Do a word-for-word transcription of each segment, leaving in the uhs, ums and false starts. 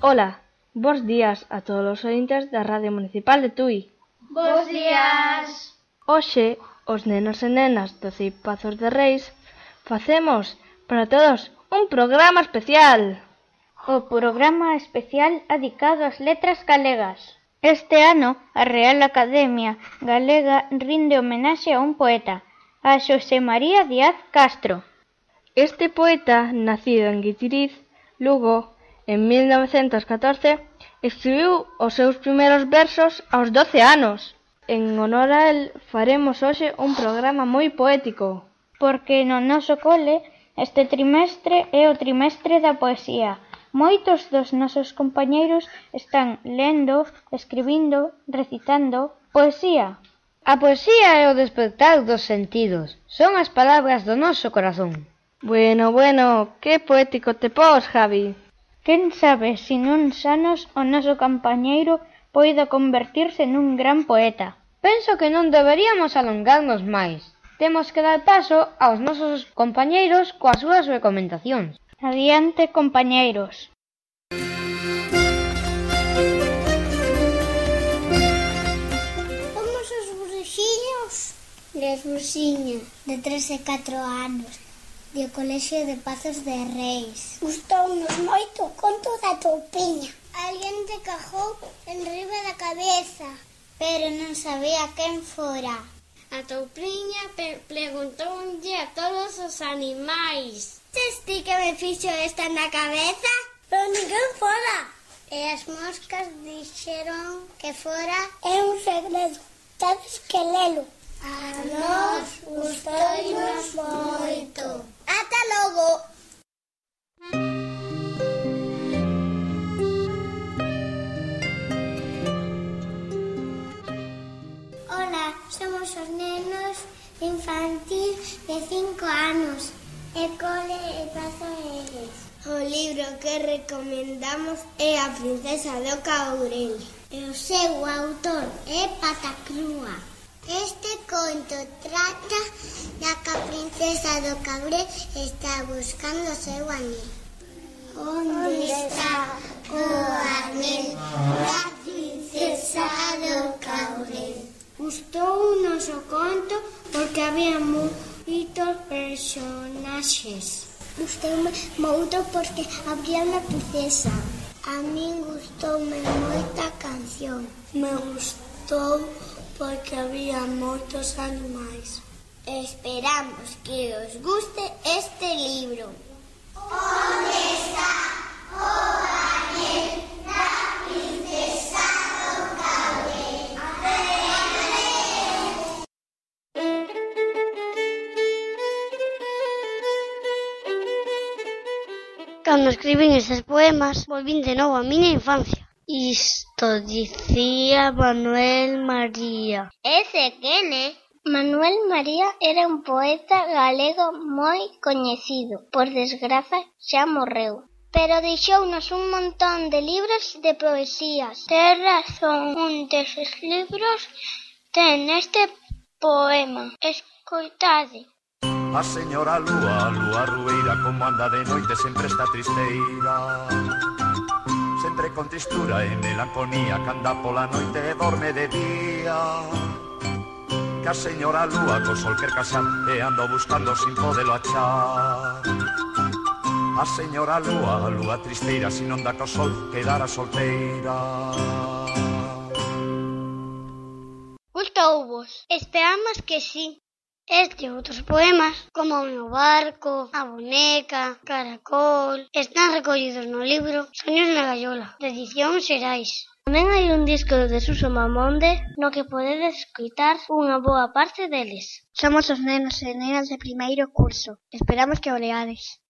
Ola, bos días a todos os ointes da Radio Municipal de Tui. Bos días. Hoxe, os nenos e nenas do C I P Pazos de Reis facemos para todos un programa especial. O programa especial adicado ás letras galegas. Este ano, a Real Academia Galega rinde homenaxe a un poeta, a Xosé María Díaz Castro. Este poeta, nacido en Guitiriz, Lugo, en mil novecentos catorce, escribiu os seus primeiros versos aos doce anos. En honor a el, faremos hoxe un programa moi poético. Porque no noso cole, este trimestre é o trimestre da poesía. Moitos dos nosos compañeiros están lendo, escribindo, recitando poesía. A poesía é o despertar dos sentidos, son as palabras do noso corazón. Bueno, bueno, que poético te pos, Javi. Quen sabe se nuns anos o noso compañeiro poida convertirse nun gran poeta. Penso que non deberíamos alongarnos máis. Temos que dar paso aos nosos compañeiros coas súas recomendacións. Adiante, compañeiros. Somos os bruxiños. Les bruxiña, de tres e catro anos, do Colexio de Pazos de Reis. Gustounos moito o conto da toupiña. Alguén te cajou en riba da cabeza, pero non sabía quen fora. A toupiña preguntounlle a todos os animais: Tes ti que me fixo esta na cabeza? Pero ninguén fora. E as moscas dixeron que fora é un segredo. Tades que lelo. A nós gustounos moito. Ata logo. Ola, somos os nenos infantil de cinco anos. E cole e pazo eles. O libro que recomendamos é A princesa do Caurel. E o seu autor é Patacrúa. Este conto trata da que a princesa do Caurel está buscando o seu anel. Onde está o anel da princesa do Caurel? Gustounos o conto porque había moitos personaxes. Gustoume moito porque había unha princesa. A min gustoume moita canción. Me gustou porque había moitos animais. Esperamos que os guste este libro. Onde está o anel da princesa do Caurel? Cando escribín estes poemas, volvín de novo a miña infancia. Isto dicía Manuel María. Ese quen é? Manuel María era un poeta galego moi coñecido. Por desgraza, xa morreu. Pero deixounos un montón de libros de poesías. Ten razón, un deses libros ten este poema. Escoitade. A señora Lúa, Lúa Rueira, como anda de noite sempre está tristeira. Sempre con tristura e melancolía, que anda pola noite e dorme de día. Que a señora Lúa co sol quer casar e ando buscando sin podelo achar. A señora Lúa, Lúa tristeira, si non dá co sol, quedara solteira. Gustouvos? Esperamos que sí. Este e outros poemas, como O meu barco, A boneca, Caracol, están recollidos no libro Soños na gaiola, de edición Xerais. Tamén hai un disco de Suso Mamonde no que podedes escoitar unha boa parte deles. Somos os nenos e nenas de primeiro curso. Esperamos que o leades.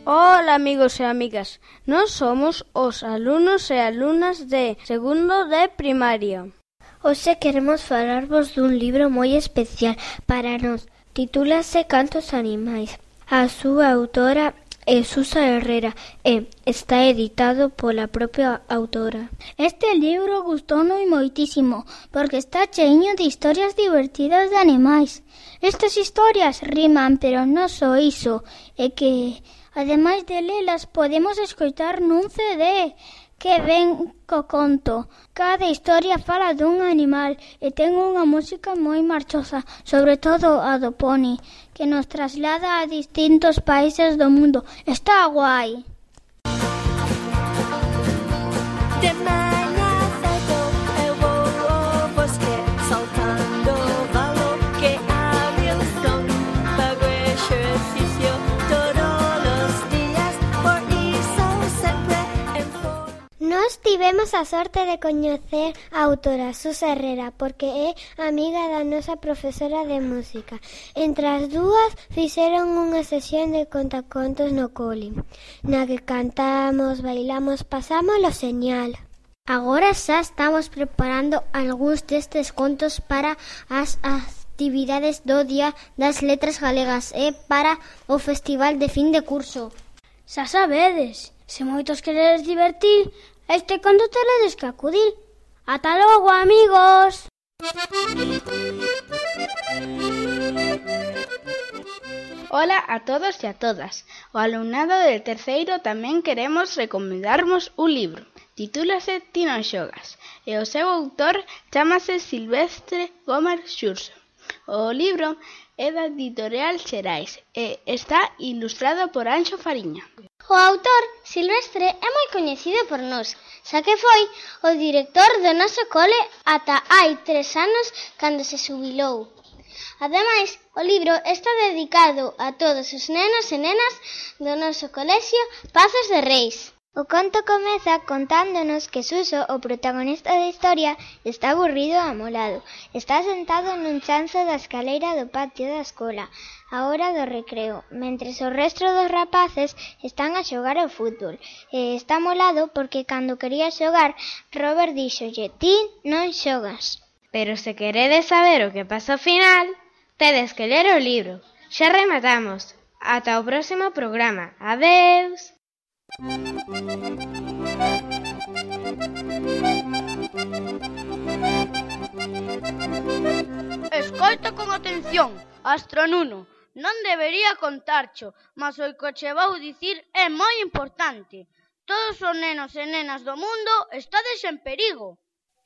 Hola, amigos e amigas. Nós somos os alumnos e alumnas de segundo de primaria. Hoxe queremos falarvos dun libro moi especial para nós. Titúlase Cantos animais. A súa autora é Susa Herrera e está editado pola propia autora. Este libro gustoume moitísimo porque está cheiño de historias divertidas de animais. Estas historias riman, pero non só iso, é que, ademais de lelas, podemos escoitar nun C D que ven co conto. Cada historia fala dun animal e ten unha música moi marchosa, sobre todo a do poni, que nos traslada a distintos países do mundo. Está guai. De mañá cedo eu vou ao bosque, saltando o valo que abre o sol. Fago exercicio todos os días, por iso sempre en forma. Nós tivemos a sorte de coñecer a autora Susa Herrera porque é amiga da nosa profesora de música. Entre as dúas fixeron unha sesión de contacontos no cole, na que cantamos, bailamos, pasámoslo señal. Agora xa estamos preparando algúns destes contos para as actividades do Día das Letras Galegas e para o festival de fin de curso. Xa sabedes, se moitos queredes divertir, a este conto teredes que acudir. Ata logo, amigos! Ola a todos e a todas. O alumnado de terceiro tamén queremos recomendarmos un libro. Titúlase Ti non xogas e o seu autor chámase Silvestre Gómez Xurxo. O libro é da editorial Xerais e está ilustrado por Anxo Fariña. O autor, Silvestre, é moi coñecido por nós, xa que foi o director do noso cole ata hai tres anos cando se xubilou. Ademais, o libro está dedicado a todos os nenos e nenas do noso colexio Pazos de Reis. O conto comeza contándonos que Suso, o protagonista da historia, está aburrido e amolado. Está sentado nun chanzo da escaleira do patio da escola, a hora do recreo, mentres o resto dos rapaces están a xogar ao fútbol. E está amolado porque cando quería xogar, Robert díxolle: ti non xogas. Pero se queredes saber o que pasa ao final, tedes que ler o libro. Xa rematamos. Ata o próximo programa. Adeus. Escoita con atención, Astronuno. Non debería contarcho, mas o que che vou dicir é moi importante. Todos os nenos e nenas do mundo estades en perigo.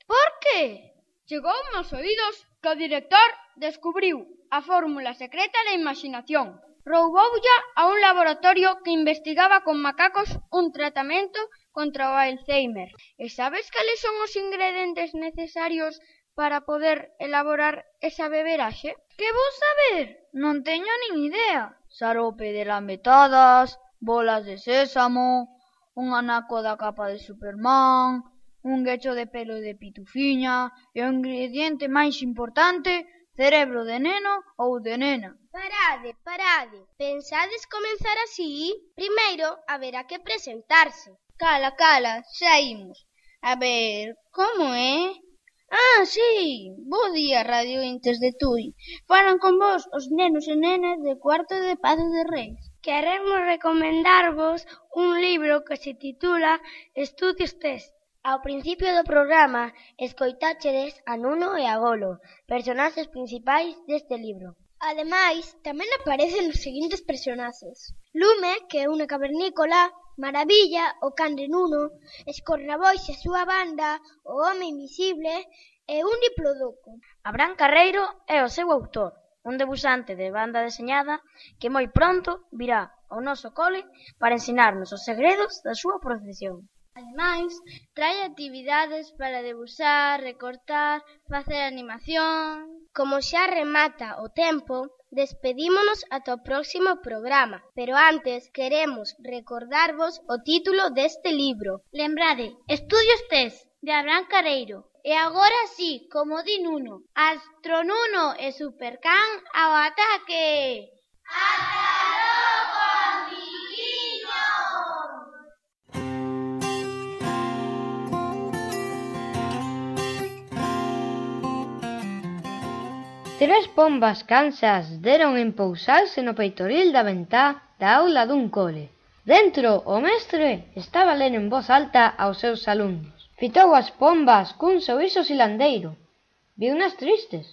Por que? Chegou aos oídos que o director descubriu a fórmula secreta da imaginación. Rouboulla a un laboratorio que investigaba con macacos un tratamento contra o Alzheimer. E sabes cales son os ingredientes necesarios para poder elaborar esa beberaxe? Que vou saber? Non teño nin idea. Xarope de lametadas, bolas de sésamo, un anaco da capa de Superman, un guecho de pelo de pitufiña e o ingrediente máis importante, cerebro de neno ou de nena. Parade, parade. Pensades comenzar así? Primeiro, haberá que presentarse. Cala, cala, xa imos. A ver, como é? Ah, sí, bo día, Radio Intes de Tui. Falan con vos os nenos e nenas de cuarto de Pazos de Reis. Queremos recomendarvos un libro que se titula Estudios Test. Ao principio do programa, escoitáchedes a Nuno e a Golo, personaxes principais deste libro. Ademais, tamén aparecen os seguintes personaxes: Lume, que é unha cavernícola, Maravilla, o can de Nuno, Escorrabois e a súa banda, o home invisible e un diplodoco. Abraham Carreiro é o seu autor, un debusante de banda deseñada que moi pronto virá ao noso cole para ensinarnos os segredos da súa profesión. Ademais, trae actividades para debusar, recortar, facer animación. Como xa remata o tempo, despedímonos ata o próximo programa, pero antes queremos recordarvos o título deste libro. Lembrade, Estudios Test, de Abraham Carreiro. E agora sí, como di Nuno, Astronuno e Supercan ao ataque! ¡Ata logo, amiguiños! Tres pombas cansas deron en pousarse no peitoril da ventá da aula dun cole. Dentro, o mestre estaba a ler en voz alta aos seus alumnos. Fitou as pombas cun sorriso silandeiro. Viunas tristes.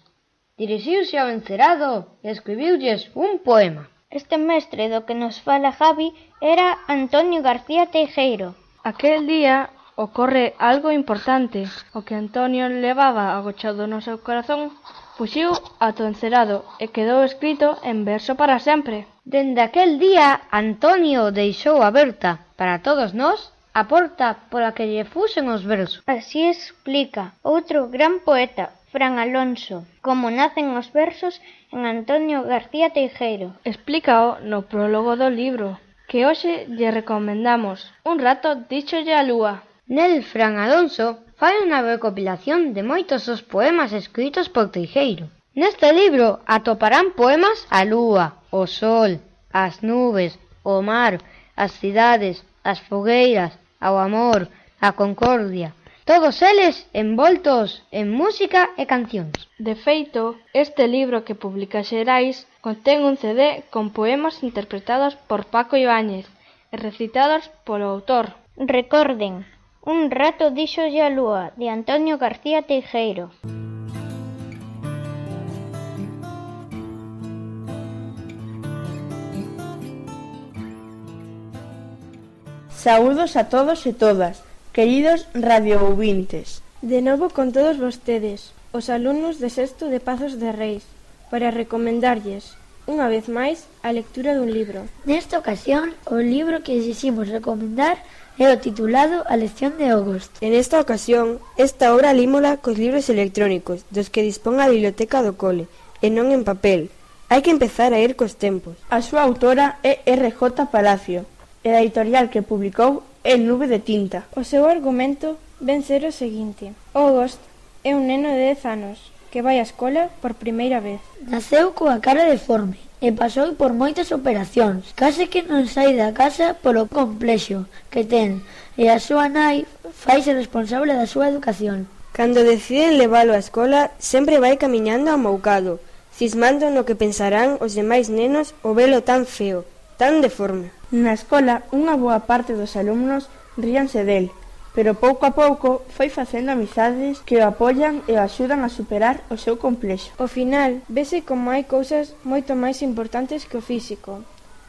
Dirixiuse ao encerado e escribiulles un poema. Este mestre do que nos fala Javi era Antonio García Teijeiro. Aquel día ocorre algo importante. O que Antonio levaba agochado no seu corazón fuxiu ata o encerado e quedou escrito en verso para sempre. Dende aquel día, Antonio deixou aberta para todos nós a porta pola que lle fusen os versos. Así explica outro gran poeta, Fran Alonso, como nacen os versos en Antonio García Teijeiro. Explícao no prólogo do libro, que hoxe lle recomendamos. Un rato díxolle a lúa. Nel, Fran Alonso fai unha recopilación de moitos os poemas escritos por Teijeiro. Neste libro atoparán poemas á lúa, o sol, as nubes, o mar, as cidades, as fogueiras, ao amor, a concordia, todos eles envoltos en música e cancións. De feito, este libro que publica Xerais contén un C D con poemas interpretados por Paco Ibáñez e recitados polo autor. Recorden, Un rato díxolle a lúa, de Antonio García Teijeiro. Saúdos a todos e todas, queridos radioouvintes. De novo con todos vostedes, os alumnos de sexto de Pazos de Reis, para recomendarlles, unha vez máis, a lectura dun libro. Nesta ocasión, o libro que exiximos recomendar é o titulado A lección de August. En esta ocasión, esta obra límola cos libros electrónicos dos que dispón a biblioteca do cole, e non en papel. Hai que empezar a ir cos tempos. A súa autora é R J Palacio, e a editorial que publicou é Nube de Tinta. O seu argumento ven ser o seguinte. August é un neno de dez anos que vai á escola por primeira vez. Naceu coa cara deforme e pasou por moitas operacións. Case que non sai da casa polo complexo que ten e a súa nai faise responsable da súa educación. Cando deciden leválo á escola, sempre vai camiñando amoucado, cismando no que pensarán os demais nenos o velo tan feo, tan deforme. Na escola, unha boa parte dos alumnos ríanse del, pero pouco a pouco foi facendo amizades que o apoian e o axudan a superar o seu complexo. Ao final, vese como hai cousas moito máis importantes que o físico,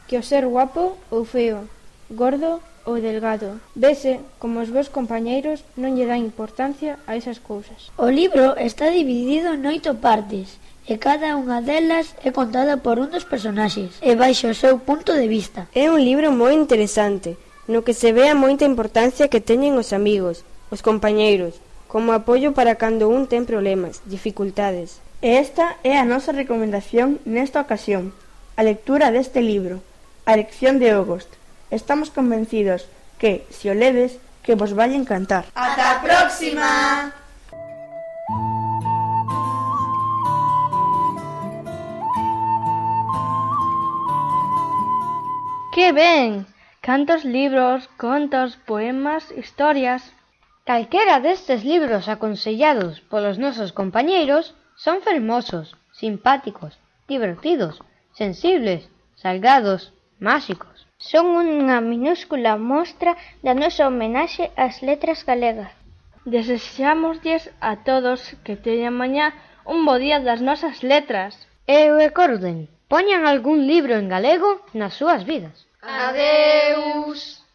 que o ser guapo ou feo, gordo ou delgado. Vese como os vos compañeiros non lle dan importancia a esas cousas. O libro está dividido en oito partes, e cada unha delas é contada por un dos personaxes, e baixo o seu punto de vista. É un libro moi interesante, no que se ve a moita importancia que teñen os amigos, os compañeiros, como apoio para cando un ten problemas, dificultades. E esta é a nosa recomendación nesta ocasión, a lectura deste libro, A lección de August. Estamos convencidos que, se o ledes, que vos vai encantar. ¡Ata a próxima! ¡Que ben! Cantos libros, contos, poemas, historias... Calquera destes libros aconsellados polos nosos compañeiros son fermosos, simpáticos, divertidos, sensibles, salgados, máxicos. Son unha minúscula mostra da nosa homenaxe ás letras galegas. Desexámoslles a todos que teñan mañá un bo día das nosas letras. E recorden, poñan algún libro en galego nas súas vidas. Adeus!